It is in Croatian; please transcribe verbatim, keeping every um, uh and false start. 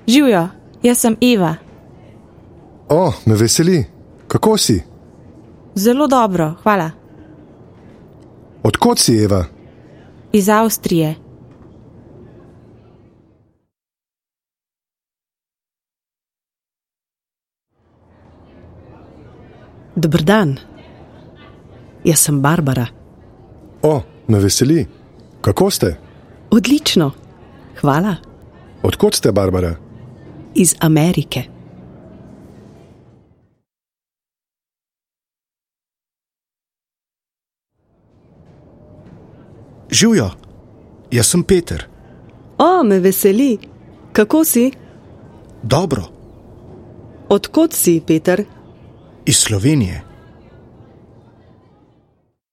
Živjo, jaz sem Eva. O, me veseli. Kako si? Zelo dobro, hvala. Od kod si, Eva? Iz Avstrije. Dober dan. Jaz sem Barbara. O, me veseli. Kako ste? Odlično. Hvala. Od kod ste, Barbara? Iz Amerike. Živjo, jaz sem Peter. O, me veseli. Kako si? Dobro, Od kod si, Peter? iz Slovenije.